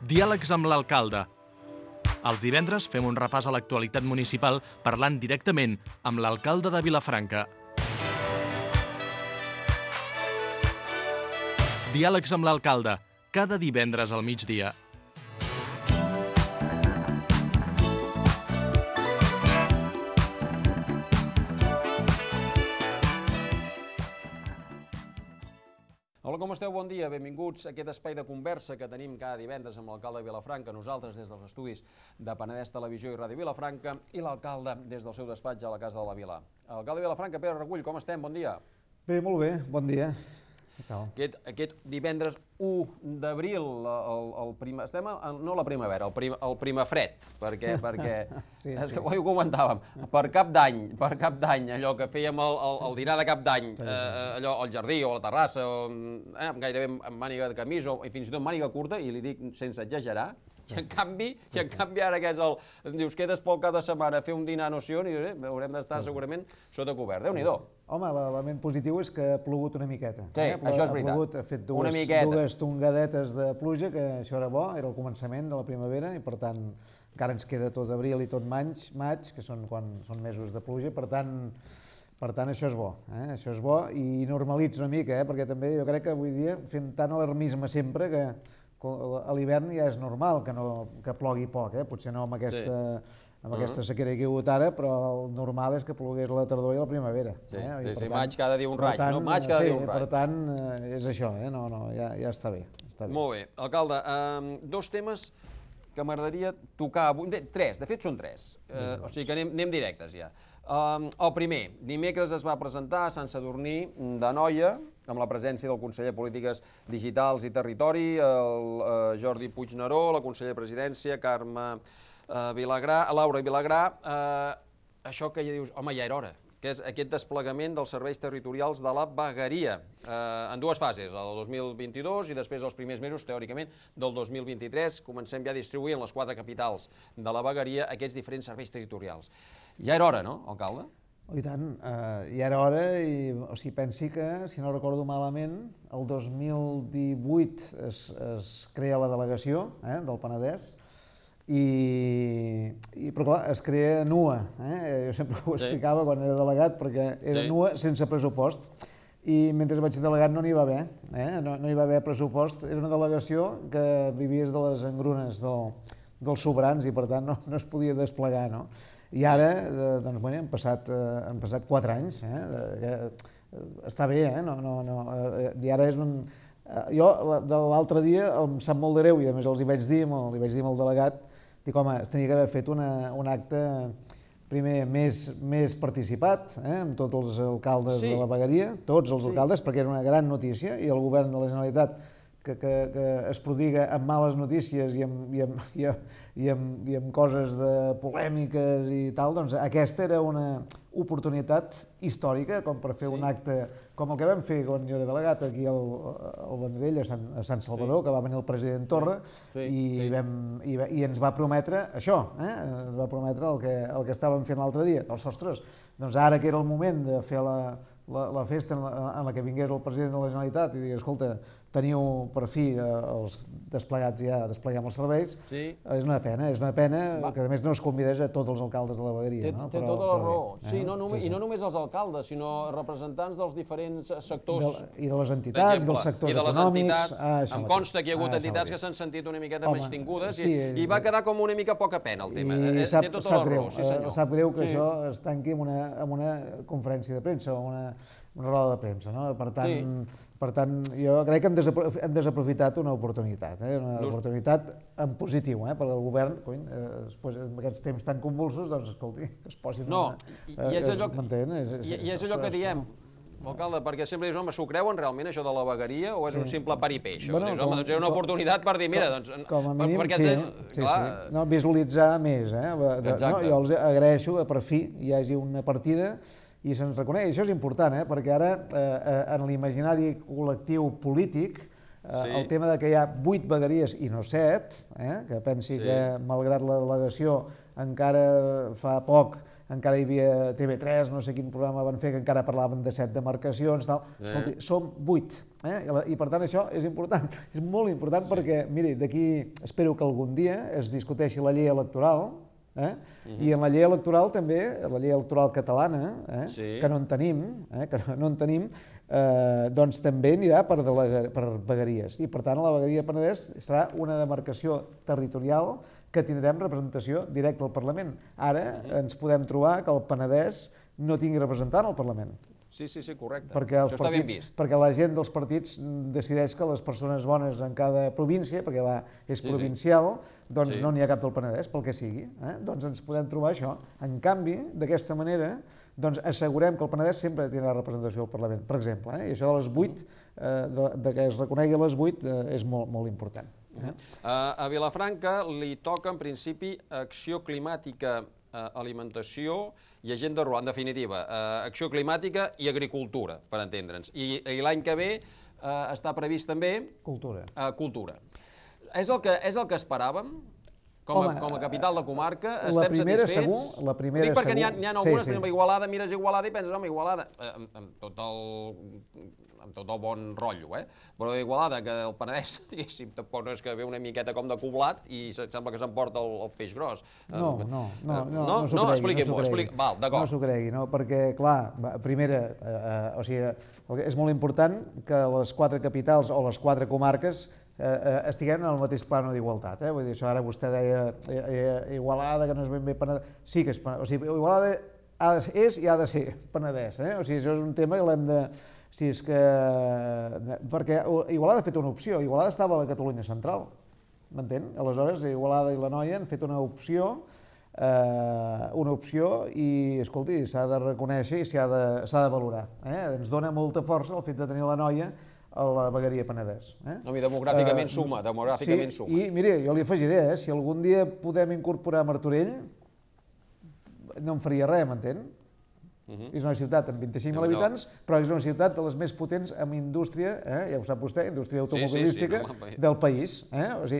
Diàlegs amb l'alcalde. Els divendres fem un repàs a l'actualitat municipal parlant directament amb l'alcalde de Vilafranca. Diàlegs amb l'alcalde, cada divendres al migdia. Hola, com esteu? Bon dia. Benvinguts a aquest espai de conversa que tenim cada divendres amb l'alcalde de Vilafranca, nosaltres des dels estudis de Penedès Televisió i Ràdio Vilafranca i l'alcalde des del seu despatx a la Casa de la Vila. Alcalde de Vilafranca, Pere Regull, com estem? Bon dia. Bé, molt bé, bon dia. Aquest divendres 1 d'abril, estem no la primavera, el primafred, perquè Sí. és que ho comentàvem, per cap d'any, allò que fèiem el dinar de cap d'any, allò al jardí o a la terrassa, gairebé amb màniga de camisa i fins i tot màniga curta, i li dic sense exagerar, i en canvi ara que és dius, quedes pel cap de setmana a fer un dinar no sé on, i haurem d'estar segurament sota cobert. Déu-n'hi-do. Home, l'element positiu és que ha plogut una miqueta. Sí, això és veritat. Ha plogut, ha fet dues tongadetes de pluja, que això era bo, era el començament de la primavera, i per tant encara ens queda tot abril i tot maig, que són quan són mesos de pluja, per tant això és bo, això és bo i normalitza una mica, perquè també jo crec que avui dia fem tant alarmisme sempre que a l'hivern ja és normal que plogui poc, potser no amb aquesta sequera que hi ha hagut ara, però el normal és que plogués a la tardor i a la primavera. Sí, maig cada dia un raig, no? Maig cada dia un raig. Per tant, és això, ja està bé. Molt bé. Alcalde, dos temes que m'agradaria tocar avui, tres, de fet són tres, o sigui que anem directes ja. El primer, dimecres es va presentar a Sant Sadurní d'Anoia, amb la presència del conseller de Polítiques Digitals i Territori, el Jordi Puigneró, la consellera de Presidència, Carme Vilagrà, Laura Vilagrà, això que ja dius, home, ja era hora, que és aquest desplegament dels serveis territorials de la vegueria, en dues fases, el 2022 i després els primers mesos, teòricament, del 2023, comencem ja a distribuir en les 4 capitals de la vegueria aquests diferents serveis territorials. Ja era hora, no, alcalde? I tant, ja era hora, o sigui, pensi que, si no recordo malament, el 2018 es crea la delegació del Penedès, però clar, es crea nua, jo sempre ho explicava quan era delegat, perquè era nua sense pressupost, i mentre vaig ser delegat no n'hi va haver, no hi va haver pressupost, era una delegació que vivies de les engrunes dels sobrans i per tant no es podia desplegar, no? I ara, doncs, bueno, han passat 4 anys, està bé, i ara és un... Jo l'altre dia em sap molt de greu i a més els hi vaig dir al delegat, dic, home, es tenia que haver fet un acte primer més participat, amb tots els alcaldes de la vegueria, tots els alcaldes, perquè era una gran notícia i el govern de la Generalitat que es prodiga amb males notícies i amb coses polèmiques i tal, doncs aquesta era una oportunitat històrica com per fer un acte com el que vam fer quan jo era delegat aquí al Vendrell, a Sant Salvador, que va venir el president Torra i ens va prometre això, ens va prometre el que estàvem fent l'altre dia. Ostres, doncs ara que era el moment de fer la festa en la que vingués el president de la Generalitat i digués, escolta, teniu per fi els desplegats ja, despleguem els serveis, és una pena que a més no es convidés a tots els alcaldes de la vegueria. Té tota la raó, i no només els alcaldes, sinó representants dels diferents sectors. I de les entitats, dels sectors econòmics. Em consta que hi ha hagut entitats que s'han sentit una miqueta menystingudes i va quedar com una mica poca pena el tema. Té tota la raó, sí senyor. Sap greu que això es tanqui amb una conferència de premsa o una roda de premsa, no? Per tant, jo crec que hem desaprofitat una oportunitat, una oportunitat en positiu per al govern, després en aquests temps tan convulsos, doncs, escolti, que es posin... No, i és allò que diem, alcalde, perquè sempre dius, home, s'ho creuen realment això de la vegueria o és un simple paripé, això? Dius, home, doncs era una oportunitat per dir, mira, doncs... Com a mínim, sí. Visualitzar més, jo els agraeixo que per fi hi hagi una partida i se'ns reconeix. Això és important, perquè ara en l'imaginari col·lectiu polític el tema que hi ha 8 vegueries i no 7, que pensi que malgrat la delegació encara fa poc encara hi havia TV3, no sé quin programa van fer, que encara parlaven de 7 demarcacions, tal. Escolti, som 8, i per tant això és important, és molt important perquè, miri, d'aquí espero que algun dia es discuteixi la llei electoral, i en la llei electoral també, la llei electoral catalana, que no en tenim, doncs també anirà per vegueries. I per tant la vegueria Penedès serà una demarcació territorial que tindrem representació directa al Parlament. Ara ens podem trobar que el Penedès no tingui representant al Parlament. Sí, correcte. Això està ben vist. Perquè la gent dels partits decideix que les persones bones en cada província, perquè és provincial, doncs no n'hi ha cap del Penedès, pel que sigui. Doncs ens podem trobar això. En canvi, d'aquesta manera, doncs assegurem que el Penedès sempre tindrà representació al Parlament, per exemple. I això de les 8, que es reconegui a les 8, és molt important. A Vilafranca li toca, en principi, acció climàtica, alimentació i agenda rural, en definitiva, acció climàtica i agricultura, per entendre'ns. I l'any que ve està previst també... Cultura. És el que esperàvem? Com a capital de comarca, estem satisfets? La primera segur. Perquè n'hi ha algunes, per exemple, Igualada, mires Igualada i penses, home, Igualada, amb tot el bon rotllo, però Igualada, que el Penedès, diguéssim, tampoc no és que ve una miqueta com de coblat i sembla que s'emporta el peix gros. No Expliqui-m'ho, val, d'acord. No s'ho cregui, perquè, clar, primera, o sigui, és molt important que les 4 capitals o les 4 comarques estiguem en el mateix plano d'igualtat. Vull dir, això ara vostè deia Igualada, que no és ben bé Penedès. Sí que és Penedès. O sigui, Igualada és i ha de ser Penedès. O sigui, això és un tema que l'hem de... Si és que... Perquè Igualada ha fet una opció. Igualada estava a la Catalunya central. M'entén? Aleshores, Igualada i l'Anoia han fet una opció i, escolti, s'ha de reconèixer i s'ha de valorar. Ens dona molta força el fet de tenir l'Anoia a la vegueria Penedès. No, demogràficament suma. Sí, i miri, jo li afegiré, si algun dia podem incorporar Martorell, no em faria res, m'entén? És una ciutat amb 25.000 habitants, però és una ciutat de les més potents amb indústria, ja ho sap vostè, indústria automobilística del país.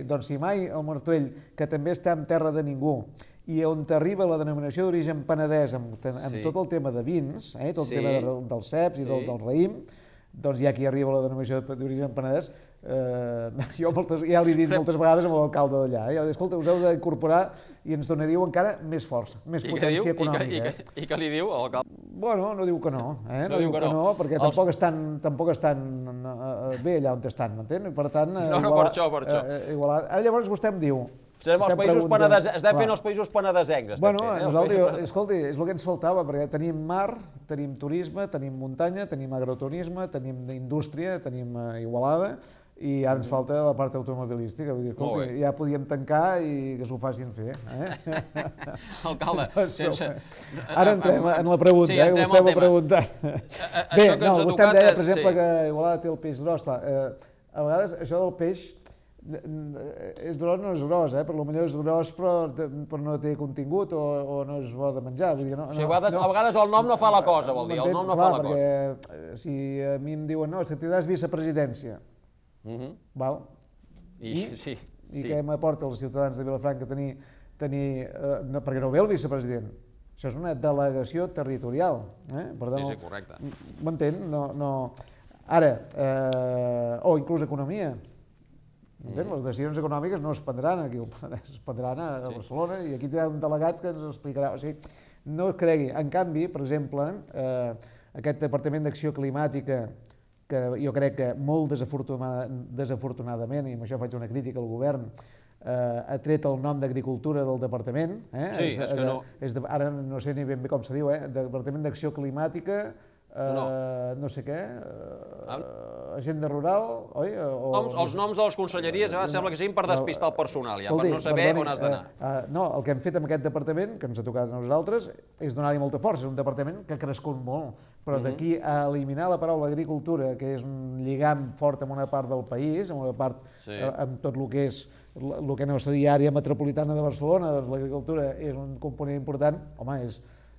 Doncs si mai el Martorell, que també està en terra de ningú, i on arriba la denominació d'origen penedès amb tot el tema de vins, tot el tema dels ceps i del raïm, doncs ja aquí arriba la denominació d'origen penedès. Jo ja l'he dit moltes vegades amb l'alcalde d'allà. Escolta, us heu d'incorporar i ens donaríeu encara més força, més potència econòmica. I què li diu l'alcalde? Bueno, no diu que no. No diu que no, perquè tampoc estan bé allà on estan, m'entén? Per tant... No, per això. Llavors vostè em diu... Estem fent els països penedesencs. Bueno, nosaltres, escolti, és el que ens faltava, perquè tenim mar, tenim turisme, tenim muntanya, tenim agroturisme, tenim indústria, tenim Igualada, i ara ens falta la part automobilística. Vull dir, escolti, ja podíem tancar i que s'ho facin fer. Alcalde, sense... Ara entrem en la pregunta, que vostè m'ha preguntat. Bé, vostè em deia, per exemple, que Igualada té el peix gros. A vegades això del peix és gros, no és gros, potser és gros però no té contingut o no és bo de menjar. A vegades el nom no fa la cosa, vol dir, el nom no fa la cosa. Perquè si a mi em diuen, no, tindràs vicepresidència, val? I què m'aporta als ciutadans de Vilafranca tenir, perquè no ve el vicepresident, això és una delegació territorial. Sí, correcte. M'entén? Ara, o inclús economia. Les decisions econòmiques no es prendran aquí, es prendran a Barcelona i aquí tindrà un delegat que ens explicarà. O sigui, no es cregui. En canvi, per exemple, aquest Departament d'Acció Climàtica, que jo crec que molt desafortunadament, i amb això faig una crítica al govern, ha tret el nom d'Agricultura del departament. Sí, és que no. Ara no sé ni ben bé com se diu, Departament d'Acció Climàtica, no sé què, agenda rural, oi? Els noms de les conselleries sembla que siguin per despistar el personal, per no saber on has d'anar. No, el que hem fet amb aquest departament, que ens ha tocat a nosaltres, és donar-hi molta força. És un departament que ha crescut molt, però d'aquí a eliminar la paraula agricultura, que és un lligam fort amb una part del país, amb una part amb tot el que és el que no seria àrea metropolitana de Barcelona, doncs l'agricultura és un component important, home,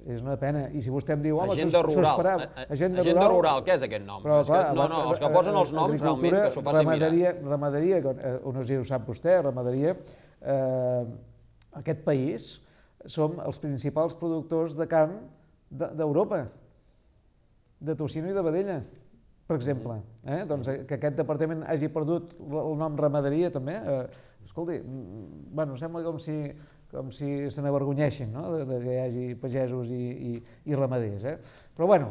és una pena. I si vostè em diu, home, agenda rural. Agenda rural, què és aquest nom? No, els que posen els noms realment que s'ho facin mirar. Ramaderia, no sé si ho sap vostè, ramaderia, aquest país som els principals productors de carn d'Europa, de tocino i de vedella, per exemple. Doncs que aquest departament hagi perdut el nom ramaderia també, escolti, bueno, sembla com si se n'avergonyeixin, no?, que hi hagi pagesos i ramaders. Però bueno,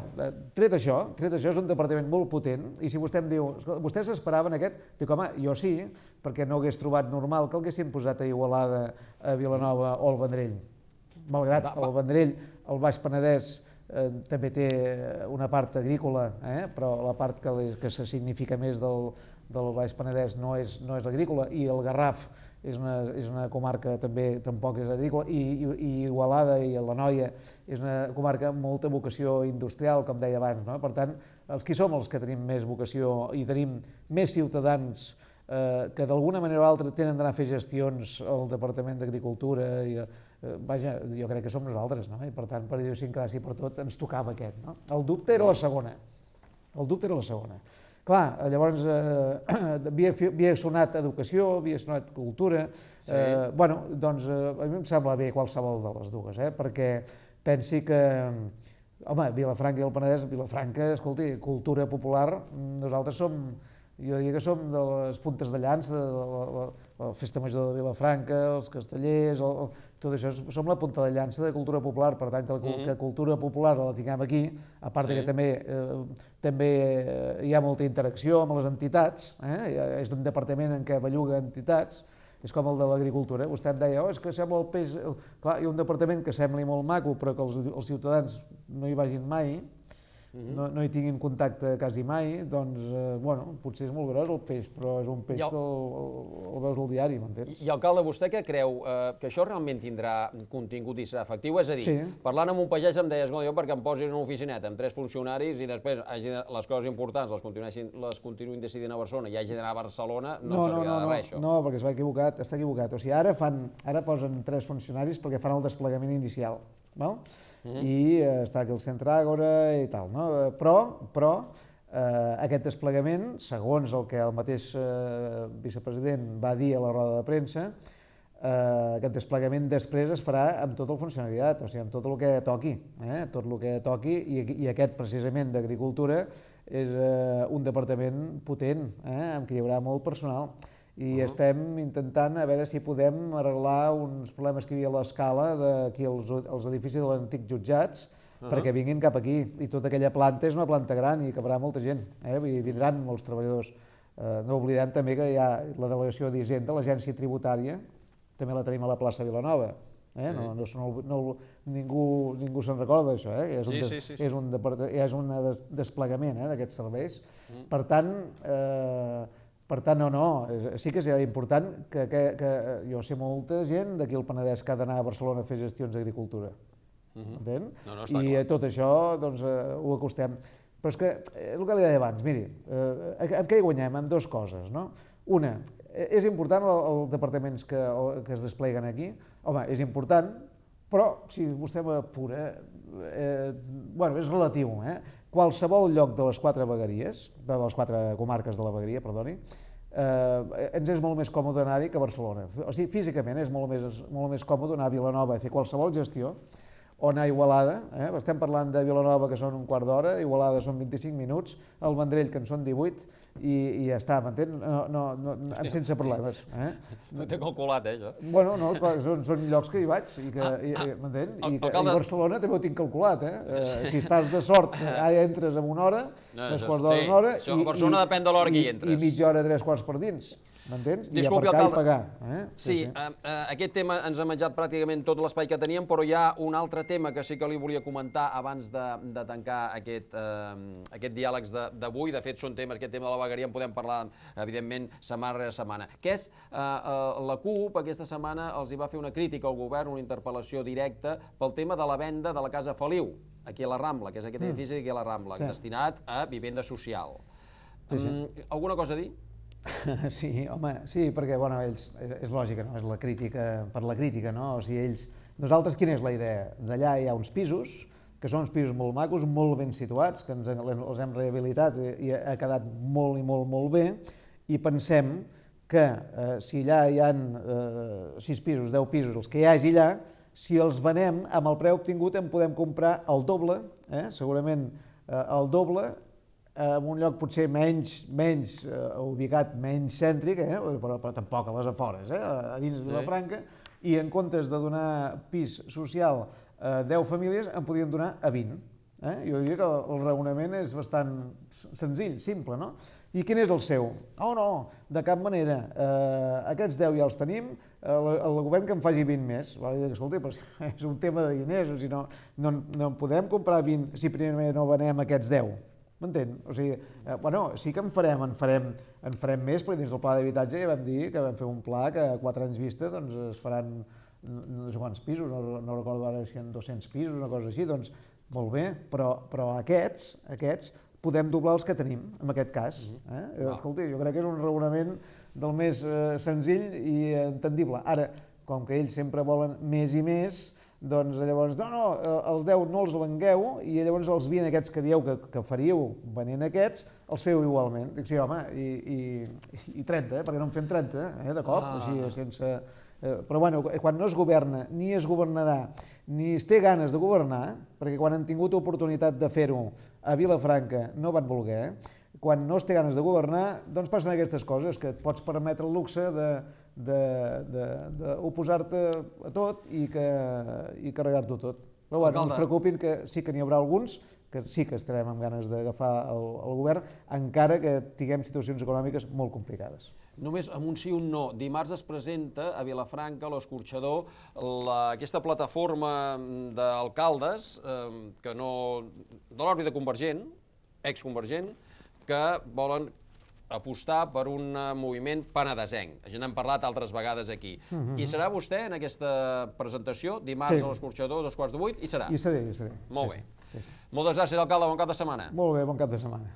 tret això és un departament molt potent, i si vostè em diu, vostès s'esperaven aquest? Dic, home, jo sí, perquè no hagués trobat normal que l'haguessin posat a Igualada, a Vilanova o al Vendrell. Malgrat el Vendrell, el Baix Penedès, també té una part agrícola, però la part que se significa més del Baix Penedès no és l'agrícola, i el Garraf és una comarca també tampoc és agrícola, i Igualada i l'Anoia és una comarca amb molta vocació industrial, com deia abans. Per tant, els qui som els que tenim més vocació i tenim més ciutadans que d'alguna manera o altra tenen d'anar a fer gestions al Departament d'Agricultura, vaja, jo crec que som nosaltres, no? I per tant, per idiosincràsia i per tot, ens tocava aquest. El dubte era la segona. Clar, llavors havia sonat educació, havia sonat cultura. Bueno, doncs a mi em sembla bé qualsevol de les dues, perquè pensi que, home, Vilafranca i el Penedès, Vilafranca, escolti, cultura popular, nosaltres som, jo diria que som de les puntes de llança, de la Festa Major de Vilafranca, els castellers, tot això, som la punta de llança de cultura popular, per tant que cultura popular la tinguem aquí, a part que també hi ha molta interacció amb les entitats, és un departament en què belluga entitats, és com el de l'agricultura. Vostè em deia, és que sembla el peix... Clar, hi ha un departament que sembli molt maco, però que els ciutadans no hi vagin mai, no hi tinguin contacte quasi mai, doncs, bueno, potser és molt gros el peix, però és un peix que el veus al diari, m'entens? I, alcalde, vostè què creu? Que això realment tindrà contingut i serà efectiu? És a dir, parlant amb un pagès em deies, jo perquè em posin una oficineta amb 3 funcionaris i després les coses importants les continuïn decidint a Barcelona i hagi d'anar a Barcelona, no servirà de res, això. No, perquè està equivocat. O sigui, ara posen 3 funcionaris perquè fan el desplegament inicial. I està aquí el centre Àgora i tal, però aquest desplegament, segons el que el mateix vicepresident va dir a la roda de premsa, aquest desplegament després es farà amb tot el funcionariat, o sigui, amb tot el que toqui, i aquest precisament d'Agricultura és un departament potent, amb què hi haurà molt personal. I estem intentant a veure si podem arreglar uns problemes que hi havia a l'escala d'aquí als edificis de l'antic jutjats perquè vinguin cap aquí. I tota aquella planta és una planta gran i hi cabrà molta gent, vindran molts treballadors. No oblidem també que hi ha la delegació d'Hisenda, l'agència tributària, també la tenim a la plaça Vilanova. Ningú se'n recorda d'això, és un desplegament d'aquests serveis. Per tant, sí que serà important que jo sé molta gent d'aquí al Penedès que ha d'anar a Barcelona a fer gestions d'agricultura, entén? I tot això ho acostem. Però és que, el que li deia abans, miri, en què hi guanyem? En 2 coses, no? Una, és important els departaments que es despleguen aquí? Home, és important, però si vostè m'apura, és relatiu, qualsevol lloc de les 4 vegueries, de les 4 comarques de la vegueria, perdoni, ens és molt més còmode anar-hi que a Barcelona. O sigui, físicament és molt més còmode anar a Vilanova a fer qualsevol gestió, o anar a Igualada, estem parlant de Vilanova que són un quart d'hora, Igualada són 25 minuts, el Vendrell que en són 18, i ja està, m'entén? Sense problemes. No té calculat, això. Bueno, no, són llocs que hi vaig, m'entén? I Barcelona també ho tinc calculat, Si estàs de sort, entres en una hora, 3/4 d'hora, una hora, a Barcelona depèn de l'hora que hi entres. I mitja hora, 3/4 per dins. M'entens? I aparcar i pagar. Sí, aquest tema ens ha menjat pràcticament tot l'espai que teníem, però hi ha un altre tema que sí que li volia comentar abans de tancar aquest diàleg d'avui. De fet, són temes, aquest tema de la vegueria en podem parlar, evidentment, setmana rere setmana. Que és, la CUP aquesta setmana els hi va fer una crítica al govern, una interpel·lació directa pel tema de la venda de la Casa Feliu, aquí a la Rambla, que és aquest edifici aquí a la Rambla, destinat a vivenda social. Alguna cosa a dir? Sí, home, sí, perquè, bueno, ells, és lògica, no? És la crítica per la crítica, no? O sigui, ells... Nosaltres, quina és la idea? D'allà hi ha uns pisos, que són uns pisos molt macos, molt ben situats, que els hem rehabilitat i ha quedat molt i molt bé, i pensem que si allà hi ha 6 pisos, 10 pisos, els que hi hagi allà, Si els venem, amb el preu obtingut en podem comprar el doble, segurament el doble, en un lloc potser menys ubicat, menys cèntric, però tampoc a les afores, a dins de Vilafranca, i en comptes de donar pis social a 10 famílies, en podríem donar a 20. Jo diria que el raonament és bastant senzill, simple, no? I quin és el seu? Oh, no, de cap manera. Aquests 10 ja els tenim, el govern que en faci 20 més. Escolta, però és un tema de diners, o sigui, no podem comprar 20 si primer no venem aquests 10. M'entén? O sigui, bueno, sí que en farem més, perquè dins del pla d'habitatge ja vam dir que vam fer un pla que a 4 anys vista doncs, es faran no sé quants pisos, no recordo ara si hi ha 200 pisos, una cosa així, doncs molt bé, però aquests podem doblar els que tenim, en aquest cas. Escolta, jo crec que és un raonament del més senzill i entendible. Ara, com que ells sempre volen més i més, doncs llavors, no, els 10 no els vengueu i llavors els 20 aquests que dieu que faríeu venent aquests, els feu igualment. Dic, sí, home, i 30, perquè no en fem 30, de cop, així, sense... Però bueno, quan no es governa, ni es governarà, ni es té ganes de governar, perquè quan han tingut oportunitat de fer-ho a Vilafranca no van voler, quan no es té ganes de governar, doncs passen aquestes coses, que et pots permetre el luxe d'oposar-te a tot i carregar-t'ho tot. Però bueno, no us preocupin que sí que n'hi haurà alguns que sí que estarem amb ganes d'agafar el govern, encara que tinguem situacions econòmiques molt complicades. Només amb un sí o un no. Dimarts es presenta a Vilafranca, a l'Escorxador, aquesta plataforma d'alcaldes de l'òrbita convergent, exconvergent, que volen apostar per un moviment penedesenc. Ja n'hem parlat altres vegades aquí. I serà vostè en aquesta presentació, dimarts a l'Escorxador, 7:15? Hi serà? Hi seré. Molt bé. Moltes gràcies, alcalde. Bon cap de setmana. Molt bé, bon cap de setmana.